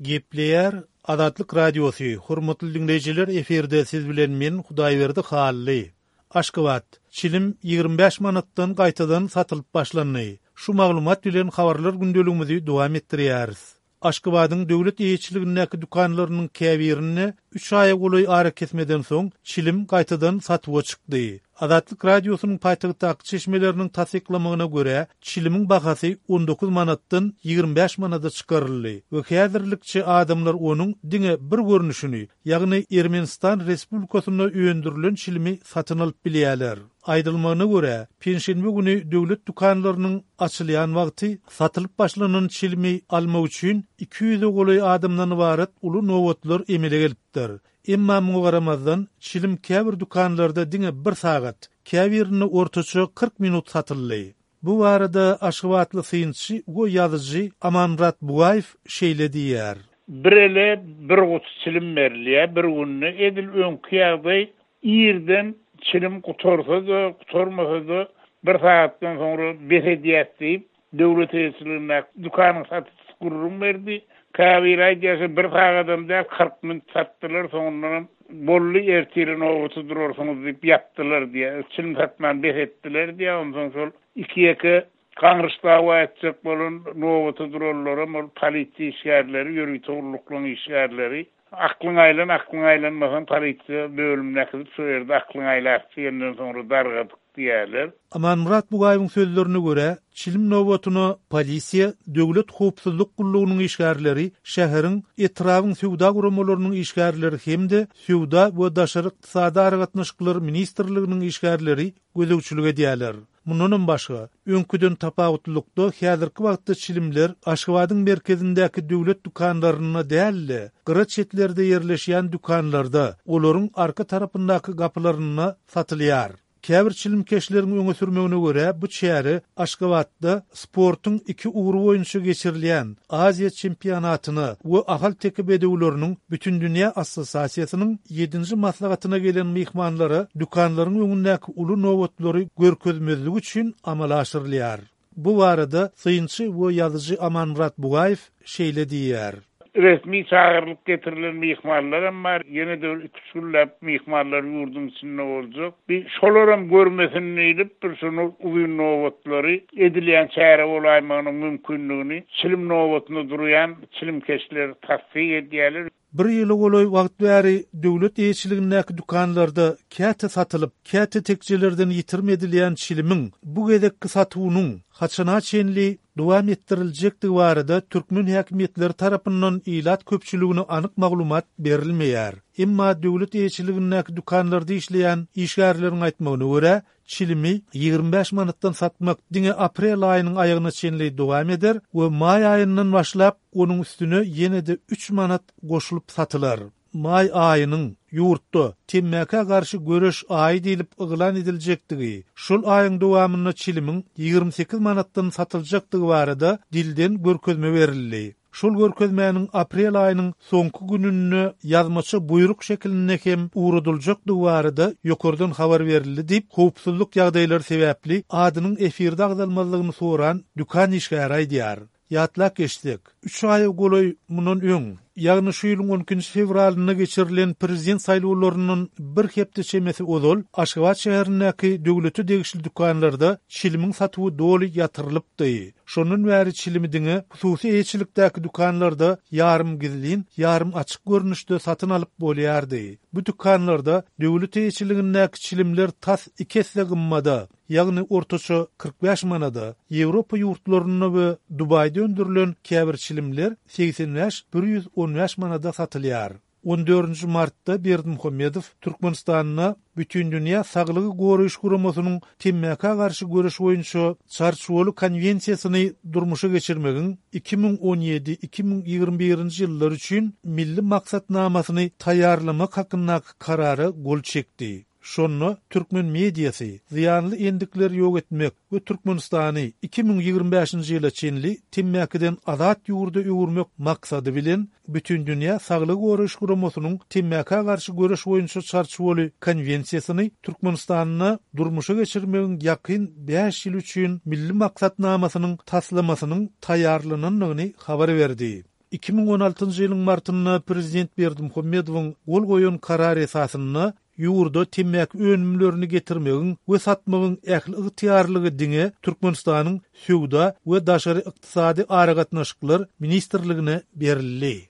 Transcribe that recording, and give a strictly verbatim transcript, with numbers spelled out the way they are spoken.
Gepleýär Azatlyk Radiosy, hormatly diňleýjiler efirde siz bilen men Hudaýberdi Hally. Aşgabat, çilim ýigrimi bäş manatdan gaýtadan satylyp başlandy. Şu maglumat bilen habarlar gündeligimizi dowam etdirýäris. Aşgabadyň döwlet eýeçiligindäki dükanlarynyň käbirinde üç aýa golaý arakesmeden soň çilim gaýtadan satuwa çykdy. Azatlyk Radiosynyň paýtagtdaky çeşmeleriniň tassyklamagyna görä, çilimiň bahasy on dokuz manatdan ýigrimi bäş manada çykaryldy we häzirlikçe adamlar onuň diňe bir görnüşini, ýagny Ermenistan Respublikasynda öndürilen çilimi satyn alyp bilýärler. Aýdylmagyna görä, penşenbe güni döwlet dükanlarynyň açylýan wagty satylyp başlanan çilimi almak üçin iki ýüze golaý adamdan ybarat uly nobatlar emele gelipdir. Emma muňa garamazdan, çilim käbir dükanlarda diňe bir sagat, käbirinde ortaça kyrk minut satyldy. Bu barada aşgabatly synçy we ýazyjy Amanmyrat Bugaýew şeýle diýýär. Bir ele bir guty çilim berilýär, bir günde edil öňki ýagdaý irden çilim gutarsa-da, gutarmasa-da bir sagatdan soňra bes edýär diýip, döwlet eýeçiligindäki dükanyň satyjysy gürrüň berdi. Käbir aýdýarsa bir sagadam däl, kyrk minut satdylar, soňundanam boldy, ertire nobaty durarsyňyz diýip ýapdylar diýýär. Çilim satman bes etdiler diýýär. Onsoň şol iki ýeke gaňryş dawa etjek bolan nobaty duranlaram ol polisiýa işgärleri, ýörite gulluklaryň işgärleri. Aklyň aýlan, aklyň aýlanmasaň polisiýa bölümine äkidip şu ýerde aklyň aýlap diýenden soňra dargadyk diýerler. Amanmyrat Bugaýewiň sözlerine görä, çilim nobatyna polisiýa, döwlet howpsuzlyk gullugynyň işgärleri, şäheriň, etrabyň söwda guramalarynyň işgärleri hem-de Söwda we daşary ykdysady aragatnaşyklar ministrliginiň işgärleri gözegçilik edýärler. Mundanam başga, öňküden tapawutlylykda häzirki wagtda çilimler Aşgabadyň merkezindäki döwlet dükanlarynda däl-de, gyra çetlerde ýerleşýän dükanlarda, olaryň arka tarapyndaky gapylarynda satylýar. Käbir çilimkeşleriň öňe sürmegine görä, bu çäre Aşgabatda sportuň iki ugry boýunça geçirilýän Aziýa çempionatyna we Ahal-teke bedewleriniň Bütindünýä assosiasiýasynyň ýedinji maslahatyna gelen myhmanlara dükanlaryň öňündäki uly nobatlary görkezmezlik üçin amala aşyrylýar. Bu barada synçy we ýazyjy Amanmyrat Bugaýew şeýle diýýär. Resmi çagyrylyp getirilen myhmanlaram bar. Ýene de iki üç günläp myhmanlar ýurduň içinde boljak. Bir şolaram görmesin diýlip, bir şunu uzyn nobatlary edilýän çäre bolaýmagynyň mümkinligini çilim nobatynda durýan çilimkeşler tassyk edýärler. Bir ýyla golaý wagt bäri döwlet eýeçiligindäki dükanlarda käte satylyp, käte tekjelerden ýitirim edilýän çilimiň bu gezekki satuwynyň haçana çenli dowam etdiriljekdigi barada türkmen häkimiýetleri tarapyndan ilat köpçüligine anyk maglumat berilmeýär. Emma döwlet eýeçiligindäki dükanlarda işleýän işgärleriň aýtmagyna görä, çilimi ýigrimi bäş manatdan satmak diňe aprel aýynyň aýagyna çenli dowam eder we maý aýyndan başlap onuň üstüne ýene-de üç manat goşulyp satylar. Maý aýynyň ýurtda temmäkä garşy göreş aýy diýlip yglan ediljekdigi, şol aýyň dowamynda çilimiň ýigrimi sekiz manatdan satyljakdygy barada dilden görkezme berildi. Şol görkezmäniň aprel aýynyň soňky gününde ýazmaça buýruk şekilinde hem ugradyljakdygy barada ýokardan habar berildi diýip, howpsuzlyk ýagdaýlary sebäpli adynyň efirde agzalmazlygyny soran dükan işgäri aýdýar. Ýatlap geçsek, üç aýa golaý mundan öň, ýagny şu ýylyň on ikinji fewralynda geçirilen prezident saýlawlaryndan bir hepde çemesi ozal Aşgabat şäherindäki döwlete degişli dükanlarda çilimiň satuwy doly ýatyrylypdy. Şondan bäri çilimi diňe hususy eýeçilikdäki dükanlarda ýarym gizlin, ýarym açyk görnüşde satyn alyp bolýardy. Bu dükanlarda döwlet eýeçiligindäki çilimler tas iki esse gymmada, ýagny ortaça kyrk bäş manada, Ýewropa ýurtlarynda we Dubaýda öndürilen käbir çilimler segsen bäş, bir ýüz on bäş manada satylýar. On dördünji martda Berdimuhamedow Türkmenistanda Bütindünýä Saglygy Goraýyş Guramasynyň temmäkä garşy göreş boýunça Çarçuwaly konwensiýasyny durmuşa geçirmegiň iki müň on ýedi, iki müň ýigrimi birinji ýyllar üçin milli maksatnamasyny taýýarlamak hakyndaky karara gol çekdi. Şonda türkmen mediasy zyýanly endikleri ýok etmek we Türkmenistany iki müň ýigrimi bäşinji ýyla çenli temmäkiden azat ýurda öwürmek maksady bilen Bütindünýä Saglygy Goraýyş Guramasynyň temmäkä garşy göreş boýunça Çarçuwaly konwensiýasyny Türkmenistanda durmuşa geçirmegiň ýakyn bäş ýyl üçin milli maksatnamasynyň taslamasynyň taýýarlanandygyny habar berdi. Iki müň on altynjy ýylyň martynda prezident Berdimuhamedowyň gol goýan karary esasynda ýurda temmäki önümlerini getirmegiň we satmagyň ähli ygtyýarlygy diňe Türkmenistanyň Söwda we daşary ykdysady aragatnaşyklar ministrligine berildi.